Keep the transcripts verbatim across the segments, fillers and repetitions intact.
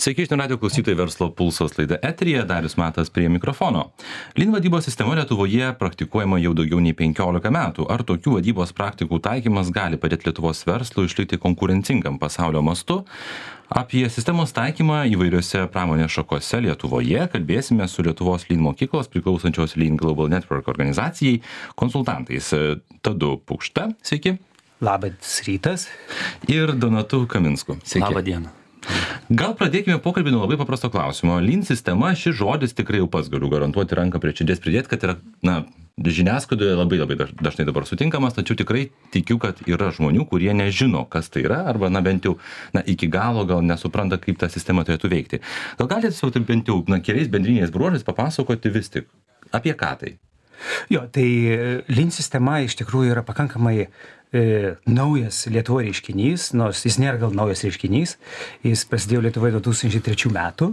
Sveiki, žinių radio klausytojai, verslo pulsos laida eteryje, Darius Matas prie mikrofono. Lean vadybos sistema Lietuvoje praktikuojama jau daugiau nei penkiolika metų. Ar tokių vadybos praktikų taikymas gali padėti Lietuvos verslui išlikti konkurencingam pasaulio mastu? Apie sistemos taikymą įvairiose pramonės šakose Lietuvoje kalbėsime su Lietuvos Lean mokyklos priklausančios Lean Global Network organizacijai konsultantais Tadu Pukšta, sveiki. Labas rytas. Ir Donatu Kaminsku. Sveiki. Labą dieną. Gal pradėkime pokalbį nuo labai paprasto klausimo. Lean sistema, šis žodis tikrai jau pats galiu garantuoti ranką prie širdies pridėti, kad yra, na, žiniasklaidoje labai labai dažnai dabar sutinkamas, tačiau tikrai tikiu, kad yra žmonių, kurie nežino, kas tai yra, arba, na, bent jau, na, iki galo gal nesupranta, kaip ta sistema turėtų veikti. Gal galite tiesiog bent jau, na, keliais bendriniais bruožais papasakoti vis tik, apie ką tai? Jo, tai Lean sistema iš tikrųjų yra pakankamai e, naujas Lietuvoje reiškinys, nors jis nėra gal naujas reiškinys, jis prasidėjo Lietuvoje du tūkstančiai trečių metų,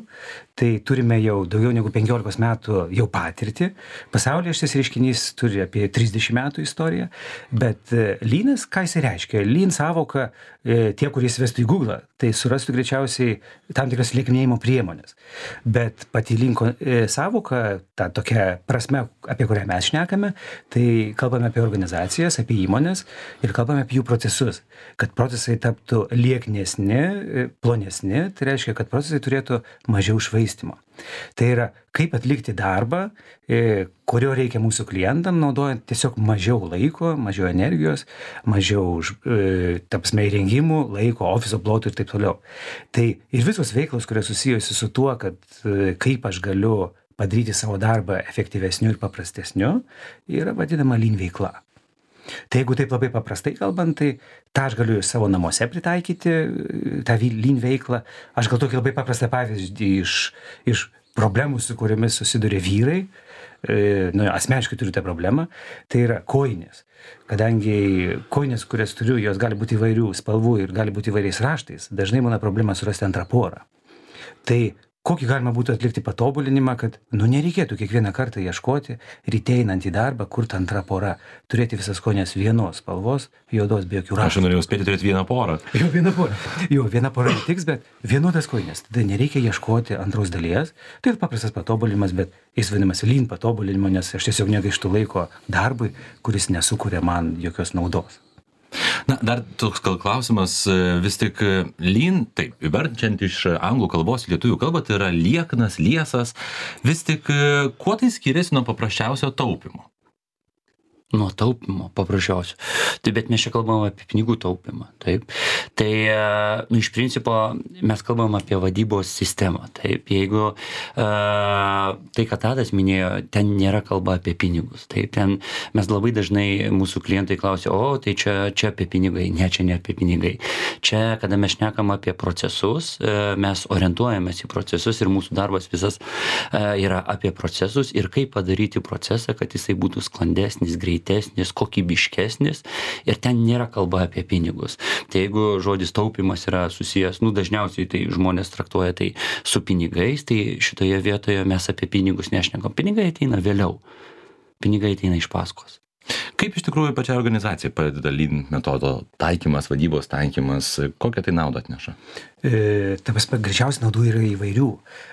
tai turime jau daugiau negu penkiolikos metų jau patirtį. Pasaulyje šis reiškinys turi apie trisdešimt metų istoriją, bet e, Leanas, ką jis reiškia? Lean sąvoka, e, tie, kurie įsivestų į Google, tai surastų greičiausiai tam tikras lieknėjimo priemonės. Bet pati Lean e, sąvoka, ta tokia prasme, apie kurią mes šnekame, tai kalbame apie organizacijas, apie įmonės ir kalbame apie jų procesus. Kad procesai taptų lieknesni, plonesni, tai reiškia, kad procesai turėtų mažiau švaistimo. Tai yra, kaip atlikti darbą, kurio reikia mūsų klientam, naudojant tiesiog mažiau laiko, mažiau energijos, mažiau, tapsme, įrengimų, laiko, ofiso plotų ir taip toliau. Tai ir visos veiklos, kurios susijusi su tuo, kad kaip aš galiu padaryti savo darbą efektyvesniu ir paprastesniu, yra vadinama Lean veikla. Tai jeigu taip labai paprastai kalbant, tai tą aš galiu savo namuose pritaikyti, tą Lean veiklą. Aš gal tokį labai paprastą pavyzdį iš, iš problemų, su kuriomis susiduria vyrai, e, nu, asmeniškai turiu tą problemą, tai yra kojinės. Kadangi kojinės, kurias turiu, jos gali būti įvairių spalvų ir gali būti įvairiais raštais, dažnai būna problema surasti antrą porą. Tai kokį galima būtų atlikti patobulinimą, kad, nu, nereikėtų kiekvieną kartą ieškoti, ryte einant į darbą, kur ta antra pora, turėti visas kojines vienos spalvos, juodos be jokių raštų. Aš norėjau spėti turėti vieną porą. Jo, vieną porą. Jo, vieną porą netiks, bet vienodas kojines. Tada nereikia ieškoti antros dalies. Tai yra paprastas patobulinimas, bet jis vadinamas Lean patobulinimu, nes aš tiesiog negaištu laiko darbui, kuris nesukuria man jokios naudos. Na, dar toks gal klausimas, vis tik Lean, taip, verčiant iš anglų kalbos į lietuvių kalbą, tai yra lieknas, liesas, vis tik kuo tai skiriasi nuo paprasčiausio taupimo? Nuo taupimo, paprasčiausio. Tai bet mes čia kalbam apie pinigų taupimą, taip. Tai, nu, iš principo, mes kalbam apie vadybos sistemą, taip. Jeigu uh, tai, ką Tadas minėjo, ten nėra kalba apie pinigus, taip. Ten mes labai dažnai mūsų klientai klausia, o, tai čia, čia apie pinigai, ne, čia ne apie pinigai. Čia, kada mes šnekam apie procesus, uh, mes orientuojamės į procesus ir mūsų darbas visas uh, yra apie procesus ir kaip padaryti procesą, kad jisai būtų sklandesnis, greitas, kokybiškesnis ir ten nėra kalba apie pinigus. Tai jeigu žodis taupimas yra susijęs, nu, dažniausiai tai žmonės traktuoja tai su pinigais, tai šitoje vietoje mes apie pinigus nešnekam. Pinigai ateina vėliau. Pinigai ateina iš paskos. Kaip iš tikrųjų pačia organizacija padeda Lean metodo taikymas, vadybos taikymas, kokią tai naudą atneša? E, ta prasme, greičiausiai naudų yra įvairių.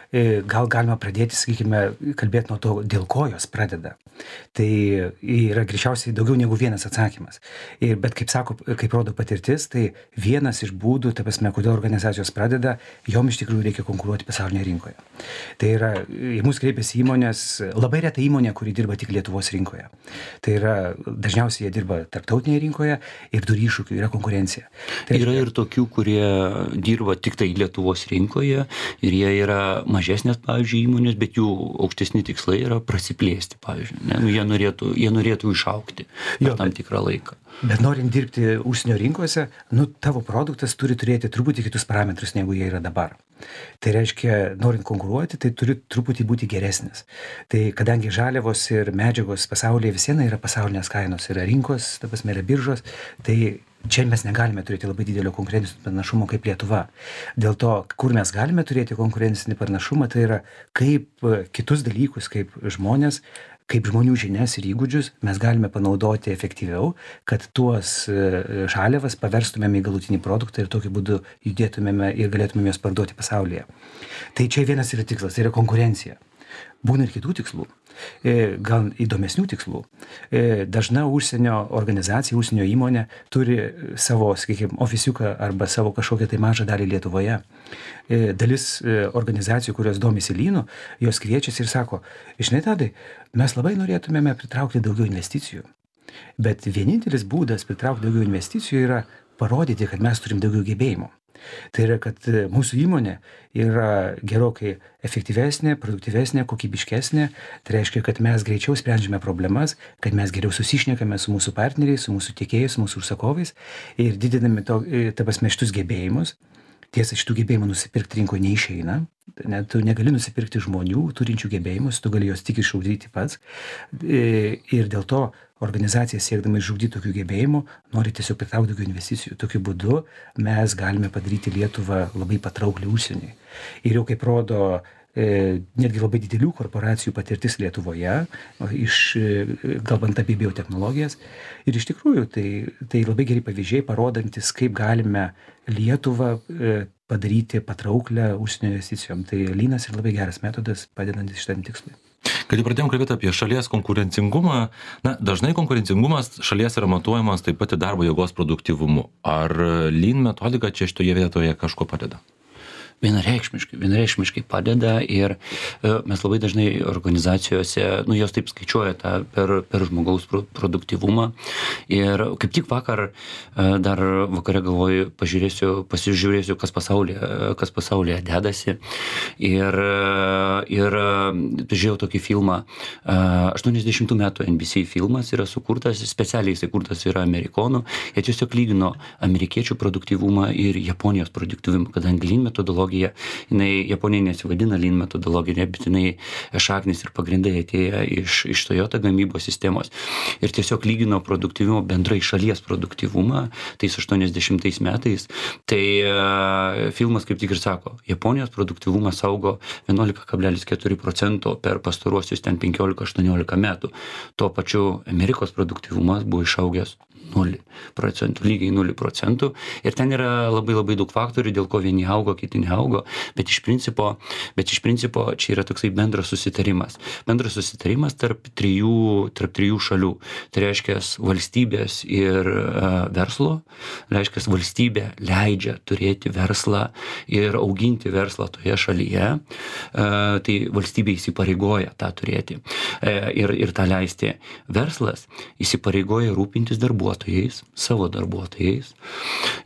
E, gal galima pradėti, sakykime, kalbėti nuo to, dėl ko jos pradeda. Tai yra greičiausiai daugiau negu vienas atsakymas. Ir, bet kaip sako, kaip rodo patirtis, tai vienas iš būdų, ta prasme, kodėl organizacijos pradeda, jom iš tikrųjų reikia konkuruoti pasaulinėje rinkoje. Tai yra, į mus kreipiasi įmonės, labai reta įmonė, kuri dirba tik Lietuvos rinkoje. Tai yra, dažniausiai jie dirba tarptautinėje rinkoje ir turi iššūkių, yra konkurencija. Tai yra ir tokių, kurie dirba tik tai Lietuvos rinkoje ir jie yra mažesnės, pavyzdžiui, įmonės, bet jų aukštesni tikslai yra prasiplėsti, pavyzdžiui. Ne? Nu, jie, norėtų, jie norėtų išaugti per tam tikrą laiką. Bet norint dirbti užsienio rinkose, nu, tavo produktas turi turėti truputį kitus parametrus, negu jie yra dabar. Tai reiškia, norint konkuruoti, tai turi truputį būti geresnis. Tai kadangi žaliavos ir medžiagos pasaulyje visieną yra pasaulinės kainos, yra rinkos, ta prasme, yra biržos, tai čia mes negalime turėti labai didelio konkurencinio pranašumo kaip Lietuva. Dėl to, kur mes galime turėti konkurencinį pranašumą, tai yra kaip kitus dalykus, kaip žmonės, kaip žmonių žinias ir įgūdžius mes galime panaudoti efektyviau, kad tuos žaliavas paverstumėme į galutinį produktą ir tokiu būdu judėtumėme ir galėtumėme juos parduoti pasaulyje. Tai čia vienas yra tikslas, tai yra konkurencija. Būna ir kitų tikslų, gal įdomesnių tikslų. Dažna užsienio organizacija, užsienio įmonė turi savo, sakykime, ofisiuką arba savo kažkokią tai mažą dalį Lietuvoje. Dalis organizacijų, kurios domisi lynu, jos kviečiasi ir sako, žinai, Tadai, mes labai norėtumėme pritraukti daugiau investicijų. Bet vienintelis būdas pritraukti daugiau investicijų yra parodyti, kad mes turim daugiau gebėjimų. Tai yra, kad mūsų įmonė yra gerokai efektyvesnė, produktyvesnė, kokybiškesnė. Tai reiškia, kad mes greičiau sprendžiame problemas, kad mes geriau susišnekame su mūsų partneriais, su mūsų tiekėjais, su mūsų užsakovais ir didiname to, ta prasme, šitus gebėjimus. Tiesa, šitų gebėjimų nusipirkti rinkoje neišeina. Net tu negali nusipirkti žmonių turinčių gebėjimus, tu gali juos tik išugdyti pats. Ir dėl to organizacija siekdama išugdyti tokių gebėjimų nori tiesiog pritraukti daugiau investicijų. Tokiu būdu mes galime padaryti Lietuvą labai patrauklią užsieniui. Ir jau kaip rodo e, netgi labai didelių korporacijų patirtis Lietuvoje, iš, kalbant apie biotechnologijas. Ir iš tikrųjų tai, tai labai geri pavyzdžiai, parodantis, kaip galime Lietuvą e, padaryti patrauklę užsienio investicijom. Tai lynas yra labai geras metodas, padedantis šitam tikslui. Kai pradėjom kalbėti apie šalies konkurencingumą, na, dažnai konkurencingumas šalies yra matuojamas taip pat ir darbo jėgos produktyvumu. Ar Lean metodika čia šitoje vietoje kažko padeda? Vienareikšmiškai, vienareikšmiškai padeda ir mes labai dažnai organizacijose, nu, jos taip skaičiuoja tą per, per žmogaus produktyvumą. Ir kaip tik vakar, dar vakare galvoju, pažiūrėsiu, pasižiūrėsiu, kas pasaulyje, kas pasaulyje dedasi. Ir, ir žiūrėjau tokį filmą, aštuoniasdešimtų metų N B C filmas yra sukurtas, specialiai jisai kurtas yra amerikonų. Jie tiesiog lygino amerikiečių produktyvumą ir Japonijos produktyvumą, kadangi Lean metodologija jinai Japonija nesivadina Lean metodologija, bet jinai šaknis ir pagrindai atėję iš, iš Toyota gamybos sistemos. Ir tiesiog lygino produktyvumą, bendrai šalies produktyvumą tais aštuoniasdešimtais metais. Tai uh, filmas kaip tik ir sako, Japonijos produktyvumas augo vienuolika kablelis keturi procento per pastaruosius ten penkiolika aštuoniolika metų. Tuo pačiu Amerikos produktyvumas buvo išaugęs nulį procentų, lygiai nulį procentų. Ir ten yra labai labai daug faktorių, dėl ko vieni augo, kiti neaugo, bet iš principo, bet iš principo čia yra toksai bendras susitarimas. Bendras susitarimas tarp trijų, tarp trijų šalių. Tai reiškia valstybės ir uh, verslo. Reiškia valstybė leidžia turėti verslą ir auginti verslą toje šalyje. Uh, tai valstybė įsipareigoja tą turėti uh, ir, ir tą leisti. Verslas įsipareigoja rūpintis darbuotojais, savo darbuotojais.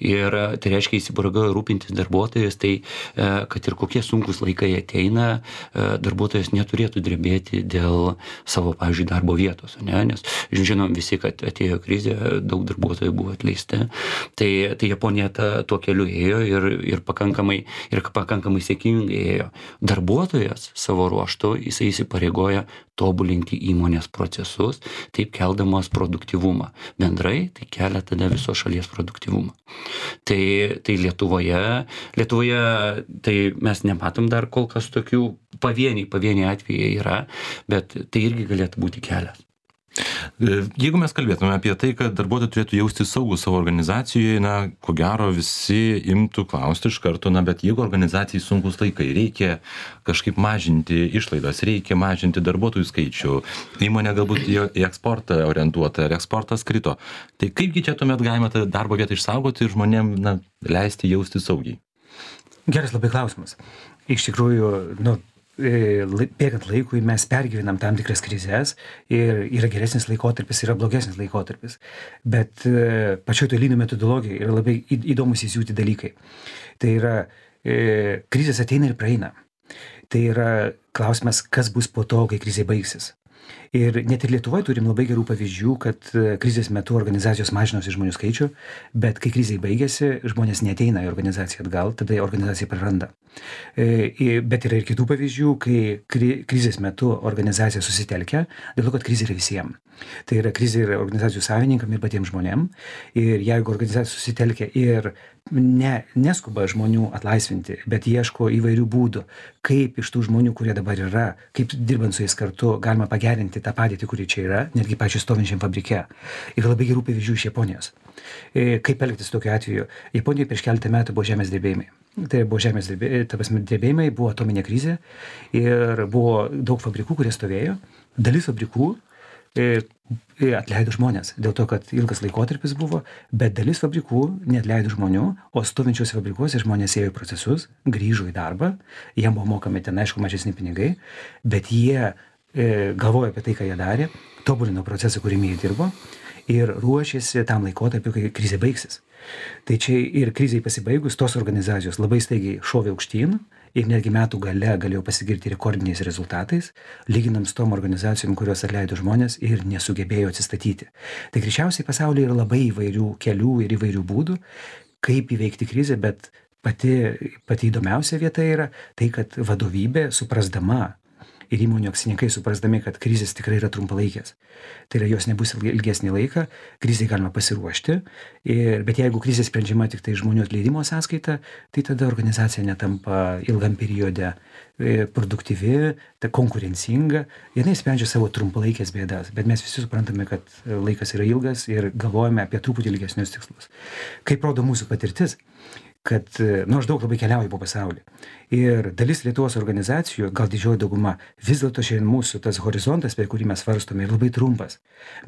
Ir tai reiškia įsipareigoja rūpintis darbuotojais, tai kad ir kokie sunkus laikai ateina, darbuotojas neturėtų drebėti dėl savo, pavyzdžiui, darbo vietos, ne? Nes žinom visi, kad atėjo krizė, daug darbuotojų buvo atleisti. Tai, tai Japonija ta, tuo keliu ėjo ir, ir, pakankamai, ir pakankamai sėkmingai ėjo. Darbuotojas savo ruožtu, jisai įsipareigoja tobulinti įmonės procesus, taip keldamas produktyvumą. Bendrai tai kelia tada viso šalies produktyvumą. Tai, tai Lietuvoje, Lietuvoje tai mes nematom dar kol kas tokių pavieniai, pavieniai atvejai yra, bet tai irgi galėtų būti kelias. Jeigu mes kalbėtume apie tai, kad darbuotojai turėtų jausti saugų savo organizacijoje, na, ko gero visi imtų klausti iš karto, na, bet jeigu organizacijai sunkus laikai, reikia kažkaip mažinti išlaidas, reikia mažinti darbuotojų skaičių, įmonė galbūt į eksportą orientuota, ir eksportas krito. Tai kaipgi čia tuomet galima tą darbo vietą išsaugoti ir žmonėm, na, leisti jausti saugiai? Geras labai klausimas. Iš tikrųjų, nu, bėgant laikui mes pergyvenam tam tikras krizes ir yra geresnis laikotarpis, yra blogesnis laikotarpis. Bet pačioj to Lean metodologijai yra labai įdomus įsiūti dalykai. Tai yra, krizės ateina ir praeina. Tai yra klausimas, kas bus po to, kai krizė baigsis. Ir net ir Lietuvoje turim labai gerų pavyzdžių, kad krizės metu organizacijos mažinosi žmonių skaičių, bet kai krizė baigėsi, žmonės neateina į organizaciją atgal, tada organizacija praranda. Bet yra ir kitų pavyzdžių, kai krizės metu organizacija susitelkia, dėl to, kad krizė yra visiems. Tai yra krizė ir organizacijų savininkam ir patiems žmonėm. Ir jeigu organizacija susitelkia ir ne, neskuba žmonių atlaisvinti, bet ieško įvairių būdų, kaip iš tų žmonių, kurie dabar yra, kaip dirbant su jais kartu, galima pagerinti tą padėtį, kuri čia yra, netgi pačiu stovinčiam fabrike. Ir labai gerų pavyzdžių iš Japonijos. Kaip elgtis tokiu atveju? Japonijoje prieš keletą metų buvo žemės drebėjimai. Tai buvo žemės drebėjimai, ta prasme, drebėjimai, buvo atominė krizė ir buvo daug fabrikų, kurie stovėjo. Dalis fabrikų atleido žmonės, dėl to, kad ilgas laikotarpis buvo, bet dalis fabrikų neatleido žmonių, o stovinčiuose fabrikuose žmonės ėjo į procesus, grįžo į darbą, jiem buvo mokami ten, aišku, mažesni pinigai, bet jie e, galvojo apie tai, ką jie darė, tobulino procesą, kurį jie dirbo ir ruošėsi tam laikotarpiu, kai krizė baigsis. Tai čia ir krizei pasibaigus, tos organizacijos labai staigiai šovė aukštyn ir netgi metų gale galėjo pasigirti rekordiniais rezultatais, lyginant su tom organizacijom, kurios atleido žmonės ir nesugebėjo atsistatyti. Tai greičiausiai pasaulyje yra labai įvairių kelių ir įvairių būdų, kaip įveikti krizę, bet pati, pati įdomiausia vieta yra tai, kad vadovybė suprasdama ir įmonių akcininkai suprasdami, kad krizės tikrai yra trumpalaikės. Tai yra, jos nebus ilgesnį laiką, krizai galima pasiruošti, ir, bet jeigu krizė sprendžiama tik tai žmonių atleidimo sąskaita, tai tada organizacija netampa ilgam periode produktyvi, ta konkurencinga, jinai sprendžia savo trumpalaikės bėdas, bet mes visi suprantame, kad laikas yra ilgas ir galvojame apie truputį ilgesnius tikslus. Kaip rodo mūsų patirtis, kad, nu, aš daug labai keliauju po pasaulį. Ir dalis Lietuvos organizacijų, gal didžioji dauguma, vis dėlto šiandien mūsų tas horizontas, per kurį mes svarstome, yra labai trumpas.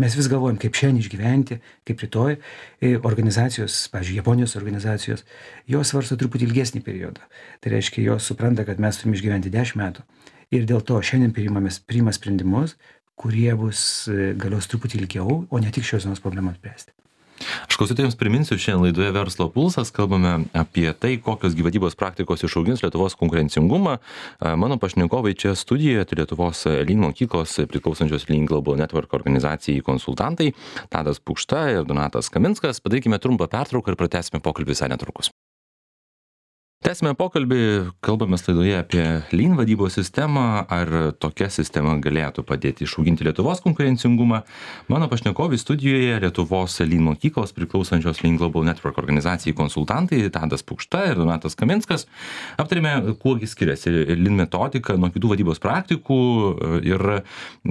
Mes vis galvojam, kaip šiandien išgyventi, kaip rytoj. Organizacijos, pavyzdžiui, Japonijos organizacijos, jos svarsto truputį ilgesnį periodą. Tai reiškia, jos supranta, kad mes turime išgyventi dešimt metų. Ir dėl to šiandien priima sprendimus, kurie bus galios truputį ilgiau, o ne tik šios dienos problemas spręsti. Aš klausytojams priminsiu, šiandien laidoje Verslo pulsas kalbame apie tai, kokios gyvybės praktikos išaugins Lietuvos konkurencingumą. Mano pašnekovai čia studijoje, tai Lietuvos Lean mokyklos priklausančios Lean Global Network organizacijai konsultantai Tadas Pukšta ir Donatas Kaminskas. Padarykime trumpą pertrauką ir pratęsime pokalbį visai netrukus. Tęsime pokalbį, kalbame laidoje apie Lean vadybos sistemą, ar tokia sistema galėtų padėti išauginti Lietuvos konkurencingumą. Mano pašnekovai studijoje Lietuvos Lean mokyklos priklausančios Lean Global Network organizacijai konsultantai Tadas Pukšta ir Donatas Kaminskas. Aptarėme, kuogi skiriasi Lean metodika nuo kitų vadybos praktikų ir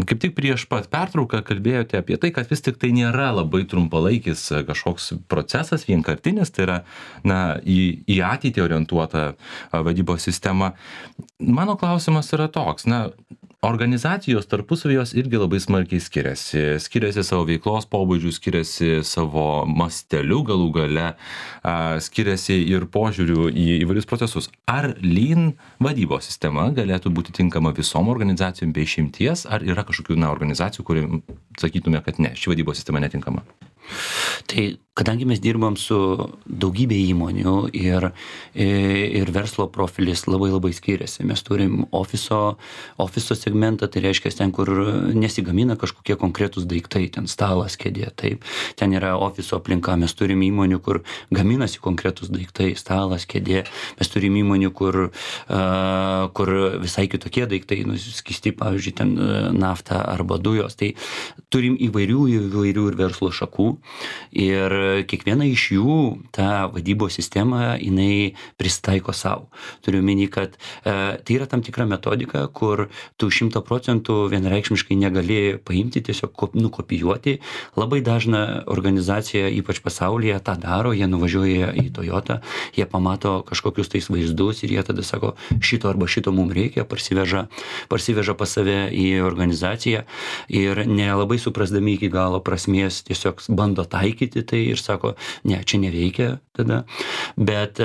kaip tik prieš pat pertrauką kalbėjote apie tai, kad vis tik tai nėra labai trumpalaikis kažkoks procesas, vienkartinis, tai yra na, į, į ateitį orientuotas vadybos sistema. Mano klausimas yra toks, na, organizacijos tarpusavy jos irgi labai smarkiai skiriasi. Skiriasi savo veiklos pobūdžių, skiriasi savo masteliu galų gale, skiriasi ir požiūriu į įvairius procesus. Ar Lean vadybos sistema galėtų būti tinkama visom organizacijom be išimties, ar yra kažkokių na, organizacijų, kurie sakytume, kad ne, ši vadybos sistema netinkama? Tai kadangi mes dirbam su daugybė įmonių ir, ir verslo profilis labai labai skiriasi. Mes turim ofiso, ofiso segmentą, tai reiškia ten, kur nesigamina kažkokie konkretūs daiktai, ten stalas, kėdė, taip. Ten yra ofiso aplinka, mes turim įmonių, kur gaminasi konkretūs daiktai, stalas, kėdė. Mes turim įmonių, kur, uh, kur visai kitokie daiktai, nu, skisti, pavyzdžiui, ten nafta arba dujos. Tai turim įvairių, įvairių ir verslo šakų. Ir kiekviena iš jų tą vadybos sistemą jinai pristaiko savo. Turiu omeny, kad e, tai yra tam tikra metodika, kur tu šimtą procentų vienareikšmiškai negali paimti, tiesiog kop, nukopijuoti. Labai dažna organizacija, ypač pasaulyje, tą daro, jie nuvažiuoja į Toyota, jie pamato kažkokius tais vaizdus ir jie tada sako, šito arba šito mums reikia, parsiveža, parsiveža pas save į organizaciją ir nelabai suprasdami iki galo prasmės tiesiog bando taikyti tai ir sako, ne, čia neveikia tada, bet,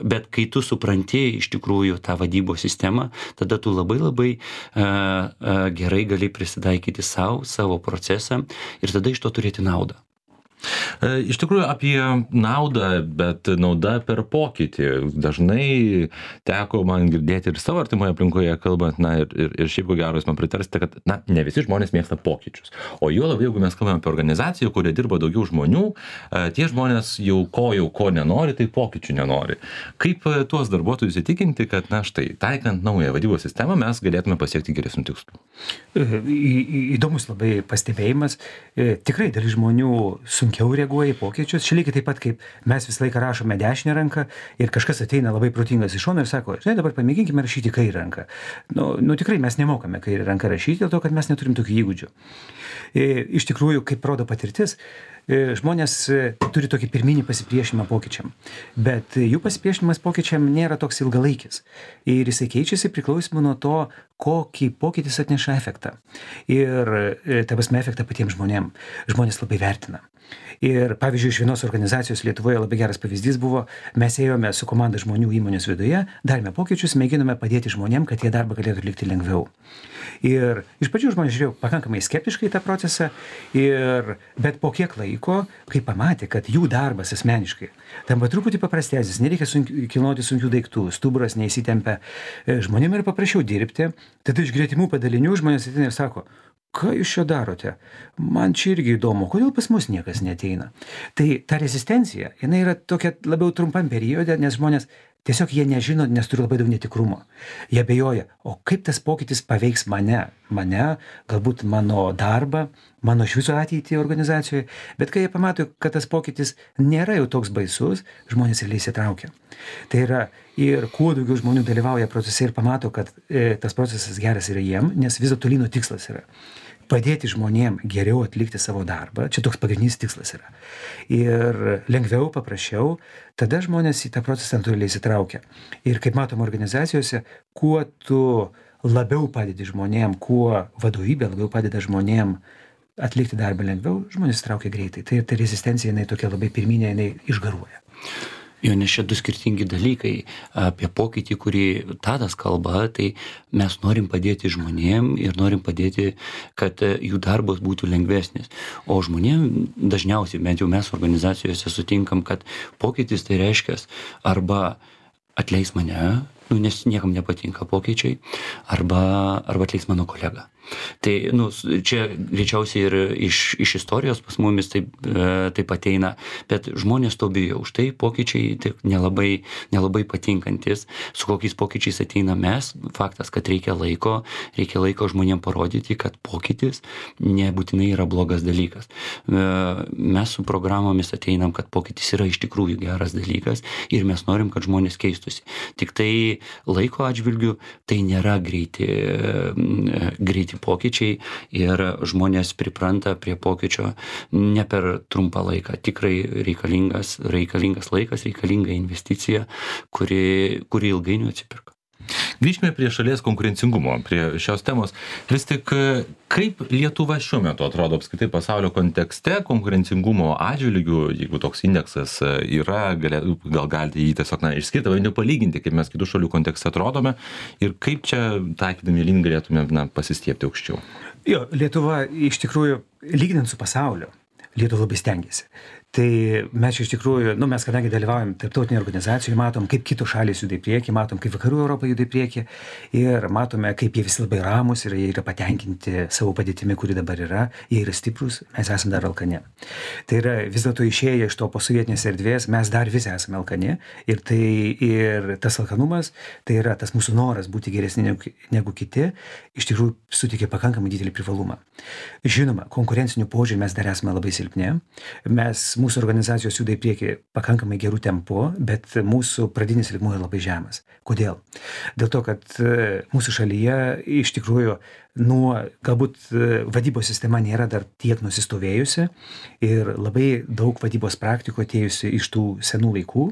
bet kai tu supranti iš tikrųjų tą vadybos sistemą, tada tu labai labai gerai gali prisitaikyti savo, savo procesą ir tada iš to turėti naudą. Iš tikrųjų apie naudą, bet nauda per pokytį. Dažnai teko man girdėti ir savo artimoje aplinkoje kalbant, na ir, ir, ir šiaip ko gero jūs man pritarsite, kad na, ne visi žmonės mėgsta pokyčius. O juo labiau, jeigu mes kalbame apie organizaciją, kurioje dirba daugiau žmonių, tie žmonės jau ko jau ko nenori, tai pokyčių nenori. Kaip tuos darbuotojus įtikinti, kad na štai, taikant naują vadybos sistemą, mes galėtume pasiekti geresnių tikslų? Įdomus labai pastebėjimas. Tikrai dalis žmonių sunkiai palankiau reaguoja į pokyčius. Čia lygiai taip pat, kaip mes visą laiką rašome dešinę ranką ir kažkas ateina labai protingas iš šono ir sako, žinai, dabar pamėginkime rašyti kairę ranką. Nu, nu tikrai mes nemokame kairę ranką rašyti, dėl to, kad mes neturim tokių įgūdžių. Iš tikrųjų, kaip rodo patirtis, žmonės turi tokį pirminį pasipriešinimą pokyčiam, bet jų pasipriešinimas pokyčiam nėra toks ilgalaikis ir jisai keičiasi priklausomai nuo to, kokį pokytis atneša efektą. Ir ta prasme efektą patiems žmonėm. Žmonės labai vertina. Ir pavyzdžiui, iš vienos organizacijos Lietuvoje labai geras pavyzdys buvo, mes ėjome su komanda žmonių įmonės viduje, darėme pokyčius, mėginome padėti žmonėm, kad jie darbą galėtų atlikti lengviau. Ir iš pradžių žmonės žiūrėjo pakankamai skeptiškai tą procesą, ir, bet po kiek laiko, kai pamatė, kad jų darbas asmeniškai tampa truputį paprastesnis, nereikia sunkių, kilnoti sunkių daiktų, stuburas neįsitempia, žmonėm yra paprasčiau dirbti, tada iš gretimų padalinių žmonės ateina ir sako, ką jūs čia darote? Man čia irgi įdomu, kodėl pas mus niekas neateina. Tai ta rezistencija, jinai yra tokia labiau trumpam periode, nes žmonės tiesiog jie nežino, nes turi labai daug netikrumo. Jie abejoja, o kaip tas pokytis paveiks mane, mane, galbūt mano darbą, mano iš viso ateitį organizacijoje, bet kai jie pamato, kad tas pokytis nėra jau toks baisus, žmonės realiai įsitraukia. Tai yra, ir kuo daugiau žmonių dalyvauja procese ir pamato, kad e, tas procesas geras yra jiem, nes vis dėlto Lyno tikslas yra padėti žmonėm geriau atlikti savo darbą, čia toks pagrindinis tikslas yra. Ir lengviau, paprasčiau, tada žmonės į tą procesą natūraliai įsitraukia. Ir kaip matom organizacijose, kuo tu labiau padedi žmonėm, kuo vadovybė labiau padeda žmonėm atlikti darbą lengviau, žmonės įsitraukia greitai. Tai, tai rezistencija, jinai tokia labai pirminė, jinai išgaruoja. Jo, nes čia du skirtingi dalykai. Apie pokytį, kurį Tadas kalba, tai mes norim padėti žmonėm ir norim padėti, kad jų darbas būtų lengvesnis. O žmonėm dažniausiai, bent jau mes organizacijose sutinkam, kad pokytis tai reiškia arba atleis mane, nu, nes niekam nepatinka pokyčiai, arba, arba atleis mano kolegą. Tai, nu, čia greičiausiai ir iš, iš istorijos pas mumis taip, e, taip ateina, bet žmonės to bijo. Už tai pokyčiai tai nelabai, nelabai patinkantis. Su kokiais pokyčiais ateina mes, faktas, kad reikia laiko, reikia laiko žmonėm parodyti, kad pokytis nebūtinai yra blogas dalykas. E, mes su programomis ateinam, kad pokytis yra iš tikrųjų geras dalykas ir mes norim, kad žmonės keistusi. Tik tai laiko atžvilgių tai nėra greiti, greiti pokyčiai ir žmonės pripranta prie pokyčio ne per trumpą laiką. Tikrai reikalingas, reikalingas laikas, reikalinga investicija, kuri, kuri ilgainiui atsipirka. Grįžkime prie šalies konkurencingumo, prie šios temos. Vis tik, kaip Lietuva šiuo metu atrodo apskritai pasaulio kontekste konkurencingumo atžvilgių, jeigu toks indeksas yra, gal, gal galite jį tiesiog na, išskirti, bet nepalyginti, kaip mes kitų šalių kontekste atrodome ir kaip čia taikydami link galėtume na, pasistiepti aukščiau. Jo, Lietuva iš tikrųjų, lyginant su pasauliu, Lietuva labai stengiasi. Tai mes iš tikrųjų, nu mes kadangi dalyvaujam tarptautinėje organizacijoje, matom, kaip kitos šalys juda į priekį, matom, kaip vakarų Europa juda į priekį ir matome, kaip jie visi labai ramus ir jie yra patenkinti savo padėtimi, kuri dabar yra, jie yra stiprus, mes esame dar alkani. Tai yra vis dėlto išėję iš to posovietinės erdvės, mes dar visi esame alkani ir, tai, ir tas alkanumas, tai yra tas mūsų noras būti geresni negu, negu kiti, iš tikrųjų suteikia pakankamai didelį privalumą. Žinoma, konkurencinių požiūrį mes dar esame labai silpni, mes mūsų organizacijos juda į priekį pakankamai gerų tempu, bet mūsų pradinis lygmuo yra labai žemas. Kodėl? Dėl to, kad mūsų šalyje iš tikrųjų nuo, galbūt vadybos sistema nėra dar tiek nusistovėjusi ir labai daug vadybos praktikų atėjusi iš tų senų laikų,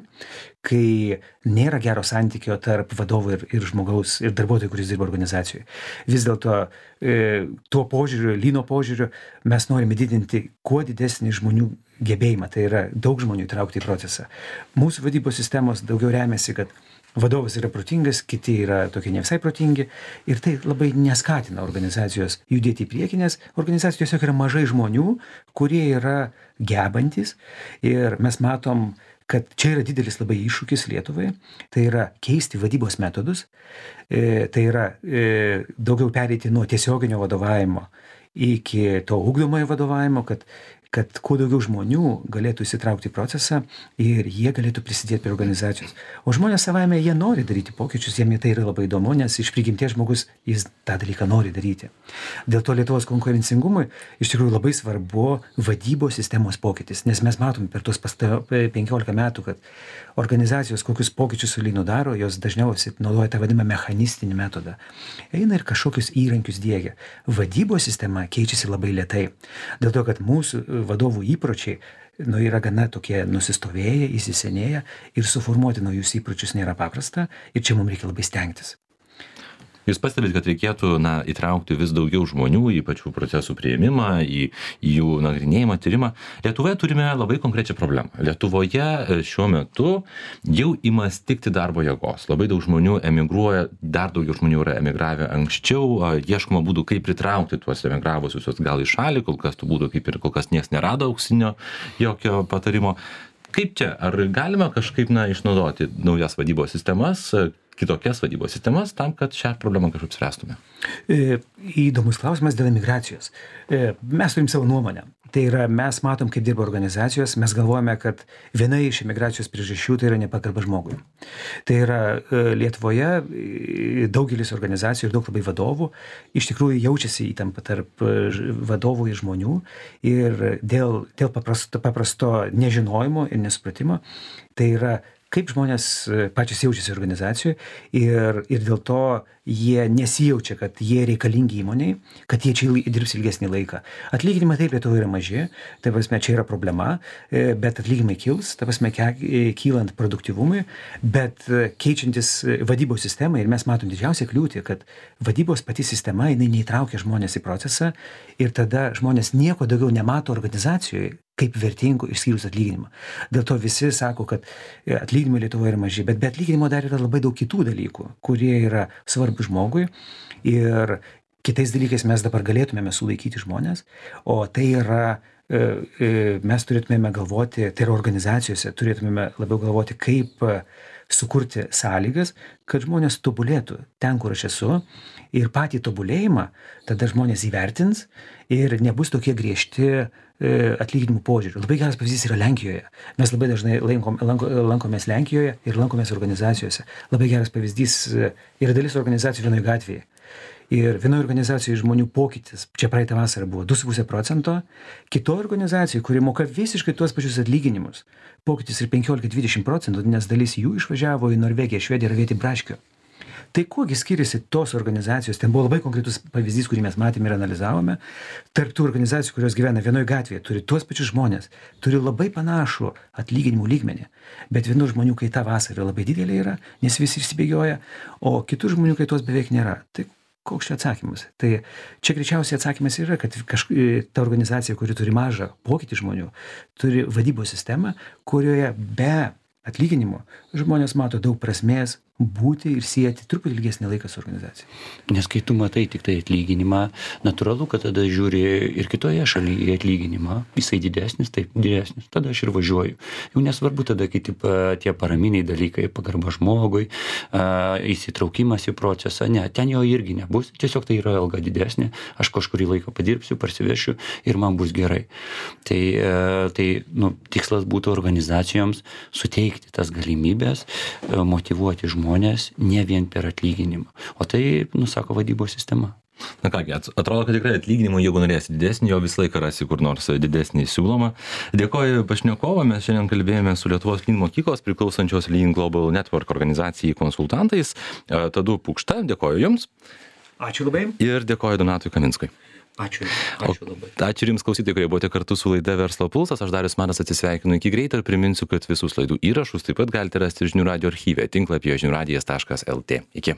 kai nėra gero santykio tarp vadovo ir, ir žmogaus ir darbuotojų, kuris dirba organizacijoje. Vis dėlto e, tuo požiūriu, Lyno požiūriu, mes norime didinti kuo didesnį žmonių gebėjimą, tai yra daug žmonių įtraukti į procesą. Mūsų vadybos sistemos daugiau remiasi, kad vadovas yra protingas, kiti yra tokie ne visai protingi ir tai labai neskatina organizacijos judėti į priekį, nes organizacijos tiesiog yra mažai žmonių, kurie yra gebantis ir mes matom, kad čia yra didelis labai iššūkis Lietuvai, tai yra keisti vadybos metodus, e, tai yra e, daugiau pereiti nuo tiesioginio vadovavimo iki to ugdomojo vadovavimo, kad kad kuo daugiau žmonių galėtų įsitraukti į procesą ir jie galėtų prisidėti prie organizacijos. O žmonės savaime, jie nori daryti pokyčius, jiems tai yra labai įdomu, nes iš prigimties žmogus jis tą dalyką nori daryti. Dėl to Lietuvos konkurencingumui iš tikrųjų labai svarbu vadybos sistemos pokytis, nes mes matom per tuos penkiolika metų, kad organizacijos kokius pokyčius su lynu daro, jos dažniausiai naudoja tą vadimą mechanistinį metodą. Eina ir kažkokius įrankius diegia. Vadybos sistema keičiasi labai lėtai. Dėl to, kad mūsų vadovų įpročiai nu, yra gana tokie nusistovėję, įsisenėję ir suformuoti naujus įpročius nėra paprasta ir čia mums reikia labai stengtis. Jūs pastebite, kad reikėtų na, įtraukti vis daugiau žmonių į pačių procesų priėmimą, į, į jų nagrinėjimą, tyrimą. Lietuvoje turime labai konkrečią problemą. Lietuvoje šiuo metu jau ima stigti darbo jėgos. Labai daug žmonių emigruoja, dar daugiau žmonių yra emigravę anksčiau, ieškoma būdų, kaip pritraukti tuos emigravusius gal į šalį, kol kas tų būdų kaip ir kol kas niekas nerado auksinio jokio patarimo. Kaip čia? Ar galima kažkaip na, išnaudoti naujas vadybos sistemas, kitokias vadybos sistemas, tam, kad šią problemą kažkaip spręstume? E, įdomus klausimas dėl emigracijos. E, mes turim savo nuomonę. Tai yra, mes matom, kaip dirba organizacijos, mes galvojame, kad viena iš emigracijos priežasčių tai yra nepagarba žmogui. Tai yra, e, Lietuvoje e, daugelis organizacijų ir daug labai vadovų iš tikrųjų jaučiasi įtampa tarp vadovų ir žmonių ir dėl, dėl paprasto, paprasto nežinojimo ir nesupratimo, tai yra kaip žmonės pačios jaučiasi organizacijoje ir, ir dėl to jie nesijaučia, kad jie reikalingi įmoniai, kad jie čia dirbs ilgesnį laiką. Atlyginimai taip Lietuvoje yra maži, tai prasme čia yra problema, bet atlyginimai kils, tai prasme kylant produktyvumui, bet keičiantis vadybos sistemai ir mes matom didžiausią kliūtį, kad vadybos pati sistema, jinai neįtraukia žmonės į procesą ir tada žmonės nieko daugiau nemato organizacijoje kaip vertingų išskyrus atlyginimą. Dėl to visi sako, kad atlyginimai Lietuvoje yra maži, bet be atlyginimo dar yra labai daug kitų dalykų, kurie yra svarbus žmogui ir kitais dalykais mes dabar galėtumėme sulaikyti žmonės, o tai yra, mes turėtumėme galvoti, tai yra organizacijose, turėtumėme labiau galvoti, kaip sukurti sąlygas, kad žmonės tobulėtų ten, kur aš esu ir patį tobulėjimą tada žmonės įvertins ir nebus tokie griežti atlyginimų požiūrių. Labai geras pavyzdys yra Lenkijoje. Mes labai dažnai lankom, lanko, lankomės Lenkijoje ir lankomės organizacijose. Labai geras pavyzdys yra dalis organizacijų vienoje gatvėje. Ir vienoje organizacijoje žmonių pokytis, čia praeitą vasarą buvo du su puse procento, kitoje organizacijoje, kuri moka visiškai tuos pačius atlyginimus, pokytis ir penkiolika dvidešimt procentų, nes dalis jų išvažiavo į Norvegiją, Švediją ir vietį braškių. Tai kuogi skiriasi tos organizacijos, ten buvo labai konkretus pavyzdys, kurį mes matėme ir analizavome, tarp tų organizacijų, kurios gyvena vienoje gatvėje, turi tuos pačius žmonės, turi labai panašų atlyginimų lygmenį, bet vienų žmonių kaita vasarą labai didelė yra, nes visi išsibėgioja, o kitų žmonių kaitos beveik nėra. Tai koks čia atsakymas? Tai čia greičiausiai atsakymas yra, kad kažk... ta organizacija, kuri turi mažą pokytį žmonių, turi vadybos sistemą, kurioje be atlyginimo žmonės mato daug prasmės būti ir sieti truputį ilgesnį laiką su organizacija. Nes kai tu matai tik tai atlyginimą, natūralu, kad tada žiūri ir kitoje šalyje atlyginimą, jisai didesnis, taip, didesnis, tada aš ir važiuoju. Jau nesvarbu tada, kai taip, tie paraminiai dalykai, pagarba žmogui, įsitraukimas į procesą, ne, ten jo irgi nebus, tiesiog tai yra alga didesnė, aš kažkurį laiką padirbsiu, parsivešiu ir man bus gerai. Tai, tai nu, tikslas būtų organizacijoms suteikti tas galimybės, motyvuoti žmonės, žmonės ne vien per atlyginimą. O tai, nusako vadybos sistema. Na kągi, atrodo, kad tikrai atlyginimų, jeigu norėsi didesnį, jo visą laiką rasi kur nors didesnį siūlomą. Dėkoju pašnekovą, mes šiandien kalbėjome su Lietuvos Lean mokyklos priklausančios Lean Global Network organizacijai konsultantais. Tadu Pukšta, dėkoju Jums. Ačiū labai. Ir dėkoju Donatui Kaminskui. Ačiū. Ačiū labai. O, ačiū Jums klausytojai, kurie buvote kartu su laida Verslo pulsas. Aš Darius Matas atsisveikinu iki greito ir priminsiu, kad visus laidų įrašus taip pat galite rasti žinių radijo archyve tinklapyje žinių radijas taškas lt. Iki.